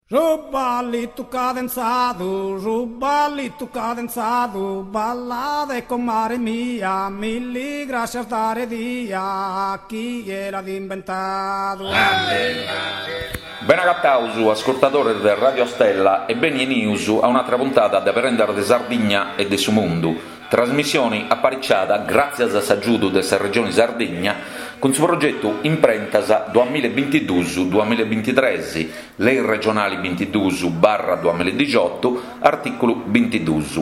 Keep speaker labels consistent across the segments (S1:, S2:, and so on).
S1: Su ballitu cadenzadu, su ballitu cadenzadu, ballade comare mia, milli grascias dare dia, chie l'at imbentadu.
S2: Bene agataus, ascurtadores de Radio Stella e beni 'enius a un'atra puntada de Prendas de Sardigna e de su Mundu, Trasmissioni apariciada gràtzias a s'agiudu de sa Regioni Sardigna cun su progetu Imprentas duamilla e bintiduus duamilla e bintitres, Lei regionali bintiduus barra duamilla e dixiotu, artìculu bintiduus.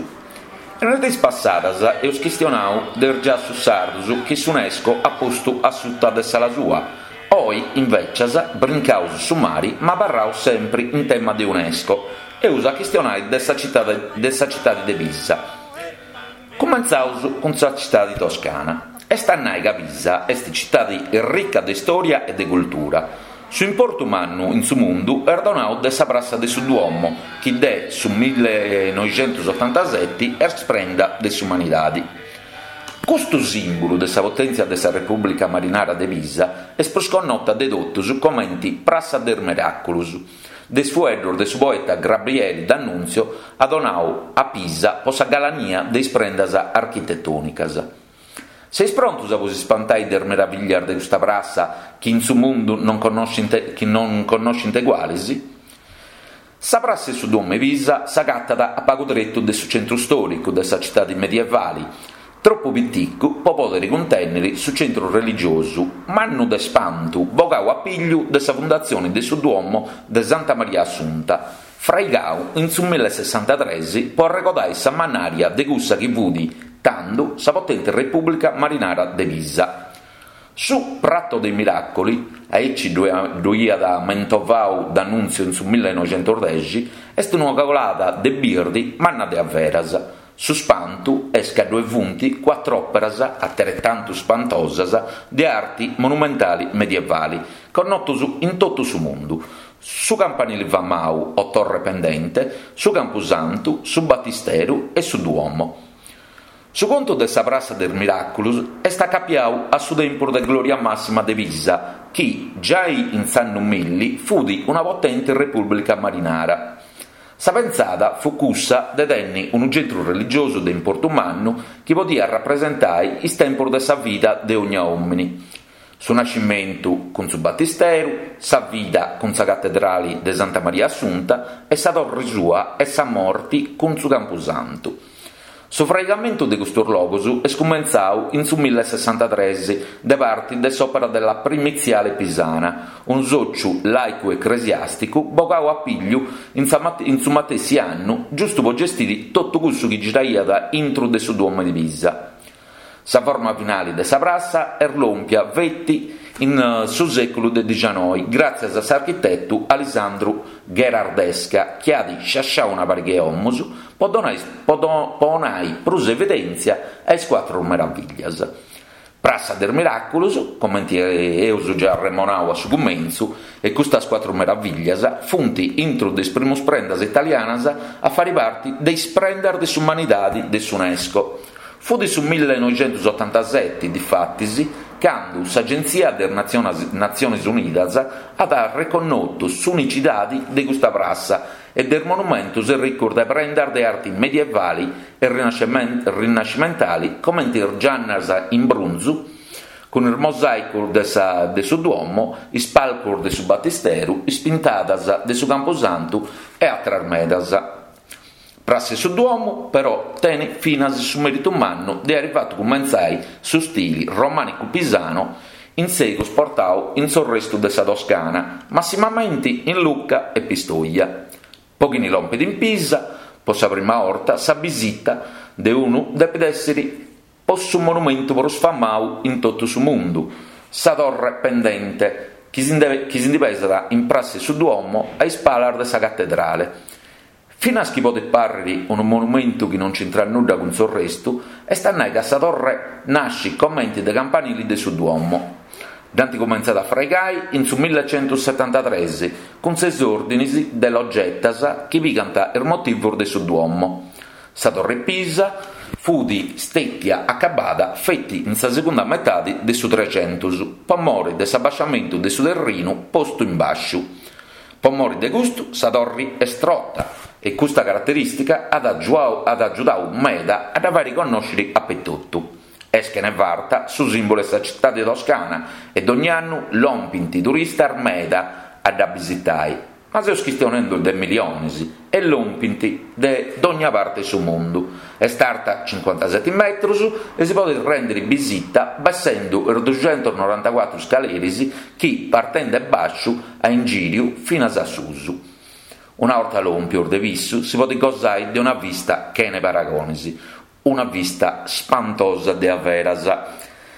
S2: In is diis passadas eus chistionau de is giassus sardus chi s'Unesco at postu a suta de s'ala sua. Oi, invècias, brincaus su mari ma abarraus sempri in tema de Unesco. Eus a chistionai de sa citadi de Pisa. Cumentzaus cun sa citadi toscana. Est a nai ca Pisa est citadi ricca de storia e de cultura. Su importu mannu in su mundu est donau de sa prassa de su Duomo, chi de su millenoixentusotantaseti est prenda de s'umanidadi. Custu simbulu de sa potèntzia de sa Repùblica Marinara de Pisa est prus connota de totus comenti Prassa de is Miraculus. De is fueddus de su poeta Grabrieli D'Annunzio at donau a Pisa po sa galania de is prendas architetònicas. Seis prontus a bos ispantai de is meraviglias de custa prassa chi in su mundu non connoscint chi non connoscint egualis? Sa prassa 'e su Duomo 'e Pisa s'agatat a pagu tretu de su centru stòricu de sa citadi medievali, Tropu piticu po pòdere cuntènnere su centru religiosu mannu de spantu bogau a pigliu de sa fundatzione de su Duomo de Santa Maria Assunta, fraigau in su millesessantatres po arregodai sa mannària de cussa chi fut tando sa potente Repùblica Marinara de Pisa. Su Prato dei Miracoli, aici ddu iat mentovau D'Annunzio in su millenoixentosdexi, est una colada de birdi manna de averas, Su spantu est ca ddue funt cuatr'òperas ateretantu spantosas de arti monumentali medievali, connotus in totu su mundu, su campanili famau o Torre Pendente, su Campusantu, su Batisteru e su Duomo. Su contu de sa Prassa de is Miràculus est acapiau a su tempus de glòria màssima de Pisa chi, giai in s'annu milli, fut una potenti repùblica marinara. Sa pentzada fut cussa de tenni unu centru religiosu de importu mannu chi podiat rapresentai is tempus de sa vida de ogna òmini, su nascimentu cun su batisteru, sa vida cun sa catedrali de Santa Maria Assunta e sa torri sua e sa morti cun su Campusantu. Su fraigamentu de custus logus est cumentzau in su millesessantatres de parti de s'Opera della Primiziale Pisana, unu sòciu làicu-ecresiàsticu bogau a pigliu in in su matessi annu giustu po gestiri totu cussu chi giraiat intru de su Duomo di Pisa. Sa forma finali de sa prassa est lòmpia feti in su sèculu de dixianoi gràtzias a s'architetu Alisandru Gherardesca chi at sciasciau una pariga 'e 'omus po donai po 'onai prus evidèntzia a is cuatru meraviglias. Prassa de is Miràculus, comenti eus giai arremonau a su cumentzu, e custas cuatru meraviglias funt intru de is primus prendas italianas a fari parti de is prendas de s'umanidadi de s'Unesco. Fut su millenoixentusotantaseti, difatis, candu s'Agentzia de is Natziones Unidas at arreconnotu s'unicidadi de custa prassa e de is monumentus erricus de prendas de arti medievali e rinascimentali comenti is giannas in brunzu cun is mosàicus de sa de su Duomo, is palcus de su Batisteru, is pintadas de su Campusantu e àteras medas. Prassa 'e su Duomo, però, tenit finas su meritu mannu de airi fatu cumentzai su stili romànicu-pisano in segus portau in s'orrestu de sa Toscana, massimamenti in Lucca e Pistoia. Po chini lompit in Pisa po sa prima 'orta, sa bisita de unu depit essiri po su monumentu prus famau in totu su mundu, sa Torre Pendente, chi si ndi pesat in Prassa 'e su Duomo a is palas de sa Catedrale. Finas chi podit pàrriri unu monumentu chi non nc'intrat nudda cun s'orrestu, est a nai ca sa torre nascit comenti de campanili de su Duomo. Dd'ant cumentzada a fraigai in su millecentusetantatres cun ses òrdinis de logetas chi pigant is motivus de su Duomo. Sa Torre Pisa fut stètia acabada feti in sa segunda metadi de su Trexentus po mori de s'abasciamentu de su terrinu postu in bàsciu. Po mori de custu sa torri est trota e custa caraterìstica at at agiudau meda a dda fàiri connòsciri apetotu. Est chene farta su sìmbulu 'e sa citadi toscana e dogni annu lompint turistas meda a dda bisitai, ma seus chistionendu de milionis e lompint de dogna parte 'e su mundu. Est arta cincuantaseti metrus e si podit rèndiri bisita bessendu is duxentusnorantacuatru scaleris chi partendi 'e bàsciu a ingìriu finas a susu. Una 'orta lòmpius de pissu si podit gosai de una vista chene paragonis, una vista spantosa de averas.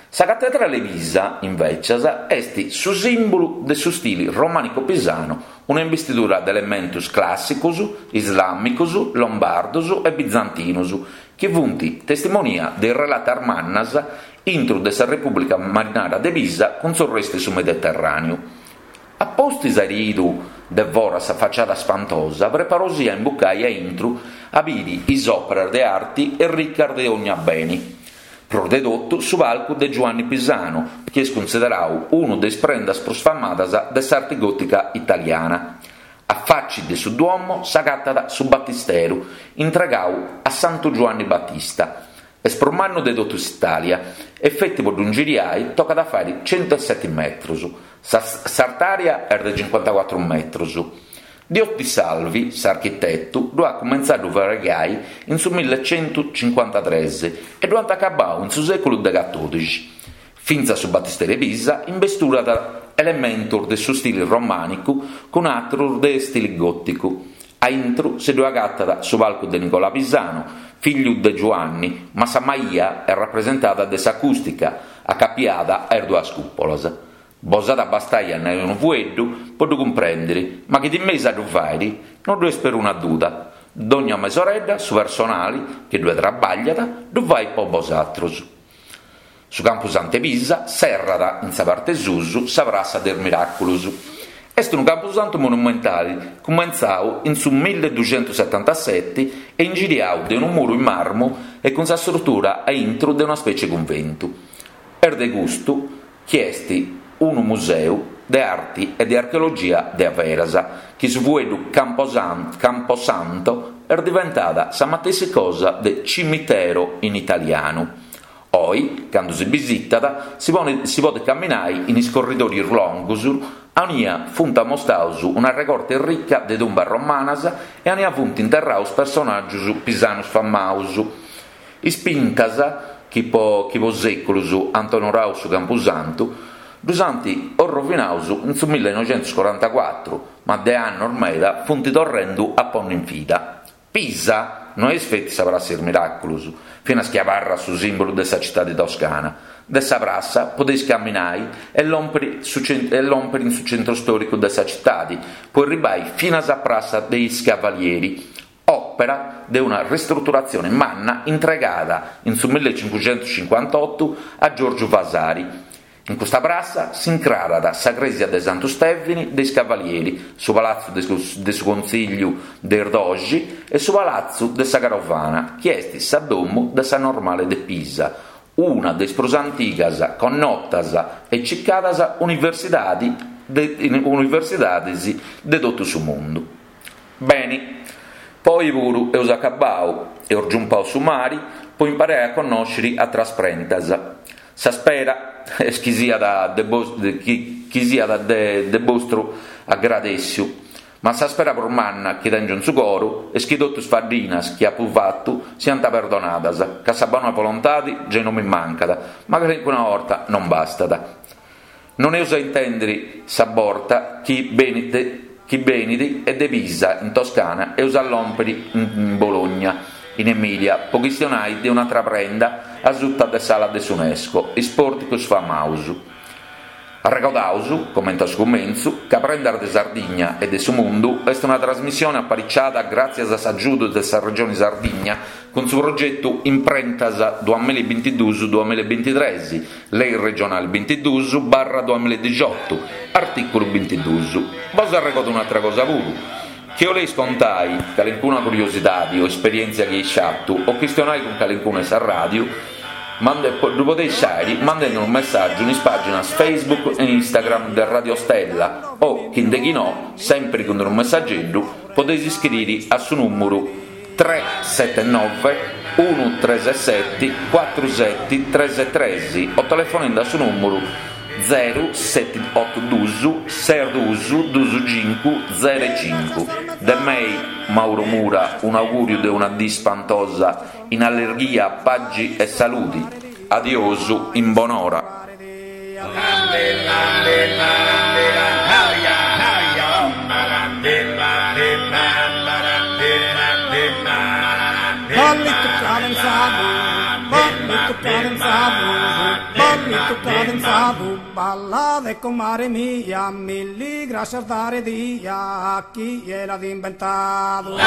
S2: Sa Catedrale 'e Pisa, invècias, est su sìmbulu de su stili romànico-pisanu, una imbistidura de elementus clàssicus, islàmicus, lombardus e bizantinus, chi funt testimonia de is relatas mannas intru de sa Repùblica Marinara de Pisa cun s'orrestu 'e su Mediterràneu. A pustis airi 'idu de foras sa faciada spantosa, preparosì a imbucai a intru a biri is òperas de arti erricas de ogna beni. Prus de totu su palcu de Giuanni Pisanu, chi est cunsiderau unu de is prendas prus famadas de s'arti gòtica italiana. A faci de su Duomo s'agatat su Batisteru, intregau a Santu Giuanni Batista. Est prus mannu de totu s'Itàlia e feti po ddu ingiriai tocat a fàiri centueseti metrus. S'artària est de cincuantacuatru metrus. Diotisalvi, s'architetu, ddu at cumentzau a ddu fraigai in su millecentucincuantatres e ddu ant acabau in su sèculu de catòdixi. Fintzas su Batisteru 'e Pisa imbesturat elementus de su stili romànicu cun atrus de stili gòticu. A intru si ddu agatat su palcu de Nicola Pisano, figliu de Giuanni, ma sa maia est rapresentada de s'acùstica, acapiada a is duas cùpolas. Bos at a bastai a nai unu fueddu po ddu cumprèndiri, ma chi timeis a ddu fàiri, no ddu est peruna duda. Dogna mesoredda su personali chi ddue trabagliat ddu fait po bosatrus. Su Campusantu 'e Pisa serrat in sa parte susu sa Prassa de is Miràculus. Est unu campusantu monumentali cumentzau in su milleduxentusetantaseti e ingiriau de unu muru in marmu e cun sa strutura a intru de una specie 'e cunventu. Est de custu chi est unu museu de arti e de archeologia de averas, chi su fueddu camposanto est diventada sa matessi cosa de cimitero in italianu. Oi, candu si bisitat, si si podit camminai in is corridorius longus aunia funt ammostaus una regorta ricca de tumbas romanas e aunia funt interraus personàgius pisanus famaus. Is pintas, chi po chi po sèculus ant onorau su Campusantu, ddus ant orrovinaus in su millenoixentuscorantacuatru, ma de annos meda funt torrendu a ponni in vida. Pisa no est feti sa Prassa 'e is Miràculus, finas chi abarrat su sìmbulu de sa citadi toscana. De sa prassa podeis caminai e lòmpiri e lòmpiri in su centru stòricu de sa citadi, po erribai finas a Prassa de is Cavalieri, òpera de una ristruturatzione manna intregada in su millecincuxentuscincuantotu a Giorgiu Vasari. In custa prassa s'incrarat sa crèsia de Santu Stèvini de is Cavalieri, su palatzu de su Contzìgliu de is Doxi e su palatzu de sa Carovana, chi est sa domu de sa Normale de Pisa, una de is prus antigas, connotas e circadas universidadis de totu su mundu. Beni, po oi puru eus acabau, eus giumpau su mari po imparai a connòsciri atras prendas. Sa spera est chi siat de chi siat de bostru agradèssiu, ma sa spera prus manna chi tèngiu in su coru est chi totu is faddinas chi apu fatu siant perdonadas, ca sa bona volontadi gei no mi mancat, ma calincuna 'orta non bastat. Non eus a intèndiri sa borta chi benit chi benit e de Pisa in Toscana eus a lòmpiri in Bologna, in Emilia, po chistionai de un'atra prenda asuta de s'ala de s'Unesco, is pòrticus famaus. Arregodaus, comente a su cumentzu, ca Prendas de Sardigna e de su Mundu est una trasmissione apariciada gràtzias a s'agiudu de sa Regioni Sardigna cun su progetu Imprentas duamillabintiduus duamillabintitres, Lei regionali bintiduus barra duamilladixotu, artìculu bintiduus. Bos arregodu un'atra cosa puru, chi 'oleis contai calincuna curiosidadi o esperièntzia chi eis fatu o chistionai cun calincunu 'e sa ràdiu. Ddu podeis fàiri mandendi unu messàgiu in is pàginas Facebook e Instagram de Radio Stella o, chi nde chi no, sèmpiri cun unu messageddu, podeis iscriri a su nùmuru 379 137 4733 o telefonendi a su nùmuru zeru seti otu dus ses dus dus cincu zeru e cincu. De mei, Mauro Mura, un'augùriu de una dì spantosa in allerghia, pagi e saludi. Adiosu in bonora.
S1: Ballitu cadenzadu, ballitu cadenzadu, ballitu cadenzadu, ballade comare mia, milli grascias dare dia a chie l'at imbentadu.